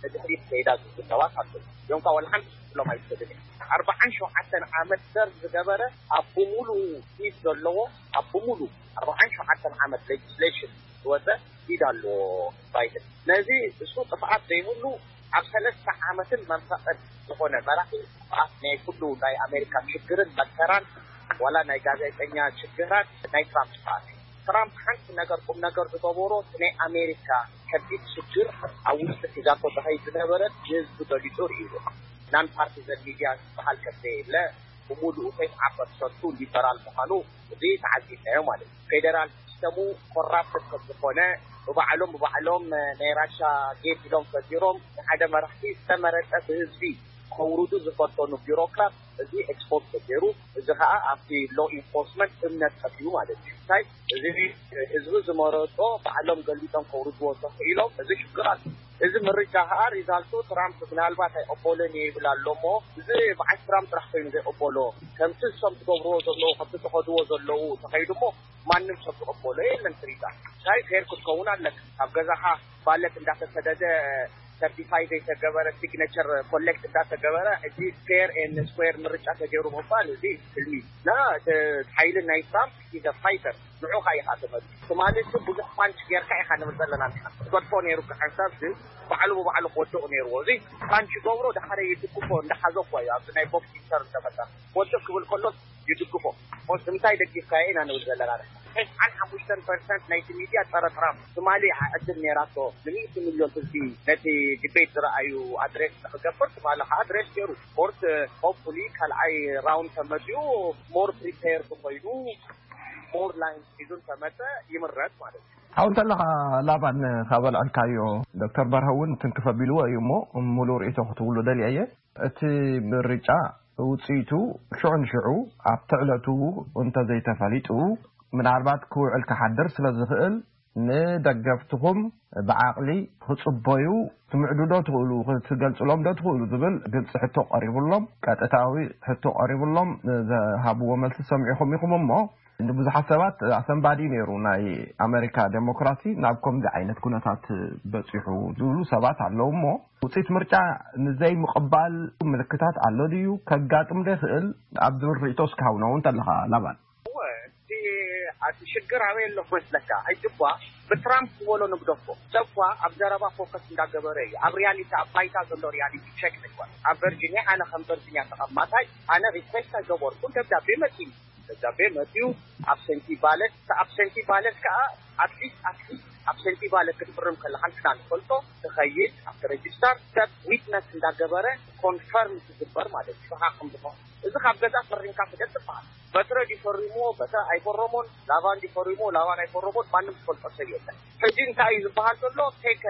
ንድሕሪት ከይዳ ዝብሉ ሰባት ኣለዉ እዮም። ካብ ዋላ ሓንቲ ክፍሎም ኣይትኽእልን እዮም። ኣርባዓን ሸውዓተን ዓመት ሰር ዝገበረ ኣብ ብምሉኡ ፊት ዘለዎ ኣብ ብምሉ ኣርባዓን ሸውዓተን ዓመት ሌጅስሌሽን ዝወፀ ኢድ ኣለዎ ባይደን። ነዚ እሱ ጥፍኣት ዘይብሉ ኣብ ሰለስተ ዓመትን መንፈቕን ዝኾነ መራሒ ጥፍኣት ናይ ኩሉ ናይ ኣሜሪካ ሽግርን መከራን ዋላ ናይ ጋዜጠኛ ሽግራት ናይ ትራምፕ ጥፍኣት እዩ። ትራምፕ ሓንቲ ነገር ቁም ነገር ዝገበሮ እቲ ናይ ኣሜሪካ ከቢድ ሽግር ኣብ ውሽጢ ሒዛቶ ተኸይ ዝነበረ ንህዝቢ ገሊፁ ርእይዎ። ናን ፓርቲዘን ሚድያ ዝበሃል ከም ዘየለ ብሙሉኡ ተስዓ ፐርሰንቱ ሊበራል ምዃኑ እዚ ተዓዚብናዮ ማለት እዩ። ፌደራል ሲስተሙ ኮራፕትድ ከም ዝኾነ ብባዕሎም ብባዕሎም ናይ ራሻ ጌት ኢሎም ፈጢሮም ንሓደ መራሕቲ ዝተመረፀ ብህዝቢ ከውርዱ ዝፈተኑ ቢሮክራት እዚ ኤክስፖርት ተገይሩ፣ እዚ ከዓ ኣብቲ ሎ ኢንፎርስመንት እምነት ጠፊኡ ማለት እዩ። እንታይ እዚ ህዝቢ ዝመረጦ ባዕሎም ገሊጦም ከውርድዎ ተኽኢሎም፣ እዚ ሽግር ኣሎ። እዚ ምርጫ ከዓ ሪዛልቱ ትራምፕ ምናልባት ኣይቀበሎን እየ ይብል ኣሎ እሞ፣ እዚ በዓል ትራምፕ ጥራሕ ኮይኑ ዘይቀበሎ፣ ከምቲ እሶም ትገብርዎ ዘለዉ፣ ከምቲ ትኸድዎ ዘለዉ ተኸይዱ እሞ፣ ማንም ሰብ ዝቀበሎ የለን። ትሪታ እንታይ ፌር ክትከውን ኣለካ። ኣብ ገዛኻ ባለት እንዳተሰደደ፣ ሰርቲፋይ ዘይተገበረ፣ ሲግነቸር ኮሌክት እንዳተገበረ፣ እዚ ፌር ኤን ስኩዌር ምርጫ ተገይሩ ምባል፣ እዚ ትልሚ ና ሓይሊ ናይ ትራምፕ ኢዘ ፋይተር ንዑኻ ኢኻ ትመልስ። ትማሊ እሱ ብዙሕ ፓንች ጌርካ ኢኻ ንብል ዘለና ንሕና። ክገድፎ ነይሩ፣ ሓንሳብ ግን ባዕሉ ብባዕሉ ክወድቕ ነይርዎ። እዚ ፓንች ገብሮ፣ ዳሓረ ይድግፎ፣ እንዳሓዞ እኮ እዩ ኣብዚ ናይ ቦክሲንግ ተር ዝተፈጠረ። ወድቕ ክብል ከሎ ይድግፎ። ኦስ እንታይ ደጊፍካዮ ኢና ንብል ዘለና ንሕና። ተስዓን ሓሙሽተን ፐርሰንት ናይቲ ሚድያ ጸረ ትራምፕ። ትማሊ ዕድል ነይራቶ ንሚእቲ ሚልዮን ህዝቢ ነቲ ዲቤት ዝረኣዩ ኣድሬስ ንክገብር፣ ትማሊ ከዓ ኣድሬስ ገይሩ። ኮርት ሆፕፉሊ ካልኣይ ራውንድ ተመፅኡ ሞር ፕሪፔርድ ኮይኑ ሞር ላይን ሒዙ እንተመፀ ይምረፅ ማለት እዩ። ሓው እንተለኻ ላባን ካብ ኣልዓልካዮ፣ ዶክተር በርሀ እውን ትንክፍ ኣቢልዎ እዩ እሞ፣ ሙሉእ ርእይቶ ክትብሉ ደልየ እየ። እቲ ምርጫ ውፅኢቱ ሽዑ ንሽዑ ኣብቲ ዕለቱ እንተዘይተፈሊጡ፣ ምናልባት ክውዕል ክሓድር ስለ ዝኽእል፣ ንደገፍትኹም ብዓቕሊ ክፅበዩ ትምዕዱ ዶ ትኽእሉ፣ ክትገልፅሎም ዶ ትኽእሉ ዝብል ግልፂ ሕቶ ቀሪቡሎም፣ ቀጥታዊ ሕቶ ቀሪቡሎም፣ ዝሃብዎ መልሲ ሰሚዕኹም ኢኹም እሞ፣ ንብዙሓት ሰባት ኣሰንባዲ ነይሩ። ናይ ኣሜሪካ ዴሞክራሲ ናብ ከምዚ ዓይነት ኩነታት በፂሑ ዝብሉ ሰባት ኣለዉ እሞ፣ ውፅኢት ምርጫ ንዘይምቕባል ምልክታት ኣሎ ድዩ? ከጋጥም ዶ ይኽእል? ኣብ ዝብል ርእይቶ እስኪ ሃቡና እውን እንተለኻ ላባን። እወ፣ እቲ፣ እቲ ሽግር ኣበይ ኣሎ መስለካ? ሕጂ እኳ ብትራምፕ ዝበሎ ንግደፎ። ሰብ እኳ ኣብ ዘረባ ፎከስ እንዳገበረ እዩ። ኣብ ሪያሊቲ፣ ኣብ ባይታ ዘሎ ሪያሊቲ ቸክ ንግበር። ኣብ ቨርጂኒያ፣ ኣነ ከም ቨርጂኒያ ተቐማጣይ፣ ኣነ ሪኩዌስት ኣይገበርኩን። ደብዳቤ መፂኡ። ደብዳቤ መፂኡ። ኣብሰንቲ ባለት፣ ኣብሰንቲ ባለት ከዓ ኣትሊስት፣ ኣትሊስት ኣብሰንቲ ባለት ክትፍርም ከለካ ንሕና ንፈልጦ፣ ትኸይድ ኣብቲ ሬጅስተር፣ ሰብ ዊትነስ እንዳገበረ ኮንፈርም ትግበር ማለት እዩ። ንስኻ ከም ዝኾነ፣ እዚ ካብ ገዛ ፈሪምካ ስደድ ትበሃል። በትረ ድዩ ፈሪምዎ፣ በትረ ኣይፈረሞን፣ ላባን ድዩ ፈሪምዎ፣ ላባን ኣይፈረሞን፣ ማንም ዝፈልጦ ሰብ የለን። ሕጂ እንታይ እዩ ዝበሃል ዘሎ? ቴክ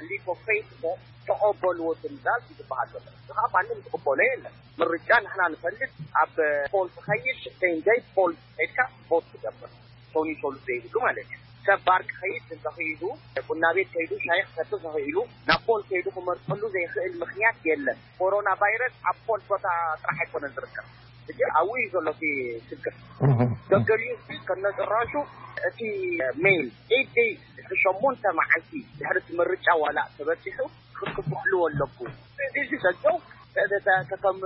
ሊፕ ኦፍ ፌይት እሞ ተቐበልዎ ትምዛዝ እዩ ዝበሃል ዘሎ። እዚ ከዓ ማንም ዝቕበሎ የለን። ምርጫ ንሕና ንፈልጥ፣ ኣብ ፖል ትኸይድ፣ ሴም ደይ ፖል ሄድካ ቮት ትገብር። ቶኒ ቶሉ ዘይብሉ ማለት እዩ። ሰብ ባር ክኸይድ እንተኽኢሉ፣ ቡና ቤት ከይዱ ሻሂ ክሰቲ ተኽኢሉ፣ ናብ ፖል ከይዱ ክመርጠሉ ዘይኽእል ምኽንያት የለን። ኮሮና ቫይረስ ኣብ ፖል ቦታ ጥራሕ ኣይኮነን ዝርከብ። ሕጂ ኣብኡ እዩ ዘሎ እቲ ሽግር። እህ። ገገሊኡ ከነጭራሹ እቲ ሜይል ኤት ደይ ድሕሪ ሸሞንተ መዓልቲ ድሕሪ እቲ ምርጫ ዋላ ተበፂሑ ክክፍሕልዎ ኣለኩ። እዚ ዘለው ከም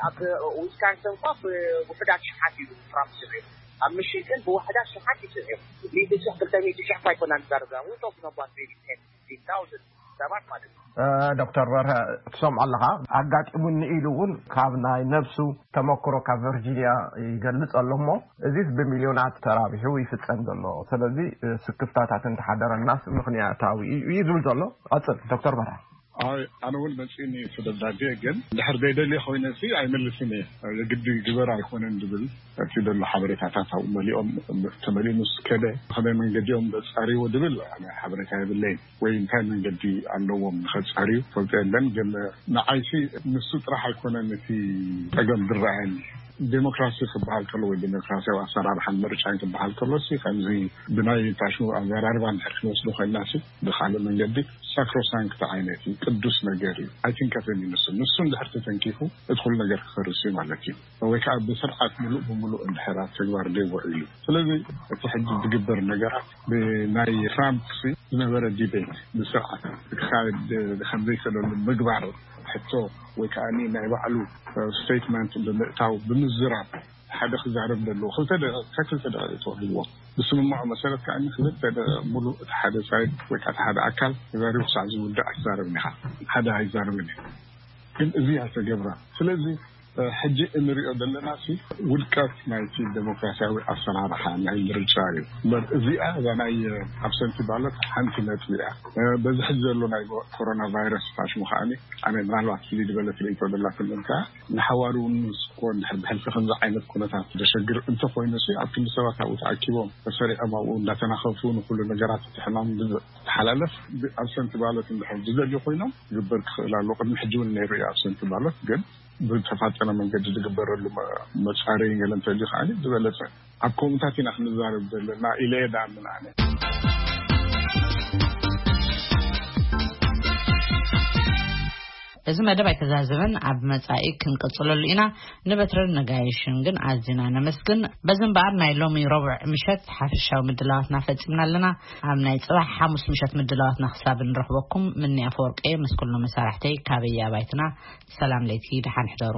ኣብ ዊስካንሰን እኳ ብውሕዳት ሽሓት እዩ ትራምፕ ስዒሩ። ኣብ ምሽግን ብውሕዳት ሽሓት እዩ ስዒሩ። ሚእቲ ሽሕ፣ ክልተ ሚእቲ ሽሕ እኳ ኣይኮና ንዛረብ ዘለና። We talking about maybe ten, fifteen thousand ሰባት ማለት እዩ። እ፣ ዶክተር በርሀ፣ ትሰምዖ ኣለኻ፣ ኣጋጢሙኒ ኢሉ እውን ካብ ናይ ነብሱ ተመክሮ ካብ ቨርጂኒያ ይገልጽ ኣሎ እሞ፣ እዚስ ብሚልዮናት ተራቢሑ ይፍጸም ዘሎ። ስለዚ፣ እ፣ ስክፍታታት እንተሓደረናስ ምኽንያታዊ እዩ፣ እዩ ዝብል ዘሎ። ቀጽል ዶክተር በርሀ። ኣይ፣ ኣነ እውን መጺእኒ እቲ ደብዳቤ፣ ግን ድሕር ዘይደልየ ኮይነ ሲ ኣይመልስን እየ። የግዲ ግበር ኣይኮነን ድብል እቲ ዘሎ ሓበሬታታት ኣብኡ መሊኦም፣ ተመሊኡ ምስ ከደ፣ ከመይ መንገዲኦም ዘጻርይዎ ድብል ኣነ ሓበሬታ የብለይን። ወይ እንታይ መንገዲ ኣለዎም ንኸጻርዩ ፈልጦ የለን። ግን ንዓይሲ ንሱ ጥራሕ ኣይኮነን እቲ ጸገም ዝረኣየኒ። ዴሞክራሲ ክበሃል ከሎ ወይ ዴሞክራሲያዊ ኣሰራርሓን ምርጫን ክበሃል ከሎ ሲ ከምዚ ብናይ ፋሽኑ ኣዘራርባ እንድሕር ክንወስዶ ኮይንና ሲ ብኻልእ መንገዲ ሳክሮሳንክት ዓይነት እዩ፣ ቅዱስ ነገር እዩ። ኣይትንከፍን እዩ ንሱ። ንሱ እንድሕር ተተንኪፉ እቲ ኩሉ ነገር ክፈርስ እዩ ማለት እዩ። ወይ ከዓ ብስርዓት ምሉእ ብምሉእ እንድሕር ኣብ ተግባር ዘይውዕል እዩ። ስለዚ እቲ ሕጂ ዝግበር ነገራት ብናይ ትራምፕ ሲ ዝነበረ ዲቤት ብስርዓት ክካየድ ከም ዘይክእለሉ ምግባር ሕቶ ወይ ከዓ ናይ ባዕሉ ስቴትመንት ብምእታው ብምዝራብ ሓደ ክዛረብ ዘለዎ ክልተ ደ-፣ ክልተ ደቂቕ ተዋሂብዎ። ብስምምዖ መሰረት ከዓ ክልተ ደ-፣ ሙሉእ እቲ ሓደ ሳይድ ወይ ከዓ እቲ ሓደ ኣካል ተዛሪቡ ክሳዕ ዝውዳእ ኣይትዛረብን ኢኻ። ሓደ ኣይዛረብን እዩ። ግን እዚ ኣይተገብረን። ስለዚ፣ እ፣ ሕጂ እንሪኦ ዘለና ሲ ውድቀት ናይቲ ዴሞክራሲያዊ ኣሰራርሓ ናይ ምርጫ እዩ። እምበር እዚኣ እዛ ናይ፣ እ፣ ኣብሰንቲ ባለት ሓንቲ ነጥቢ እያ። እ፣ በዚ ሕጂ ዘሎ ናይ ኮሮና ቫይረስ ፋሽሙ ከዓኒ ኣነ ምናልባት ፍልይ ዝበለ ትርኢቶ ዘላትኒ እንከዓ ንሓዋሩ ምስ ኮን ድሕር ብሕልፊ ከምዚ ዓይነት ኩነታት ዘሸግር እንተኾይኑ ሲ ኣብ ክንዲ ሰባት ኣብኡ ተኣኪቦም ተሰሪዖም ኣብኡ እንዳተናኸፉ ንኩሉ ነገራት እቲ ሕማም ዝተሓላለፍ ብ- ኣብሰንቲ ባሎት እንድሕር ዝደልዩ ኮይኖም ዝግበር ክኽእል ኣሎ። ቅድሚ ሕጂ እውን ነይሩ እዩ ኣብሰንቲ ባሎት፣ ግን ብተፋጠነ መንገዲ ዝግበረሉ መ- መጻረይ ገለ እንተልዩ ከዓ ዝበለጸ ኣብ ከምኡታት ኢና ክንዛረብ ዘለና ኢለ እየ ደኣምን ኣነ። እዚ መደብ ኣይተዛዘመን፣ ኣብ መጻኢ ክንቅጽለሉ ኢና። ንበትረን ነጋይሽን ግን ኣዝና ነመስግን። በዚ እምበኣር ናይ ሎሚ ረቡዕ ምሸት ሓፈሻዊ ምድላዋትና ፈጺምና ኣለና። ኣብ ናይ ጽባሕ ሓሙስ ምሸት ምድላዋትና ክሳብ ንረኽበኩም ምኒ ኣፈወርቂ ምስ ኩሉ መሳርሕተይ ካበይ ኣባይትና ሰላም ለይቲ ደሓን ሕደሩ።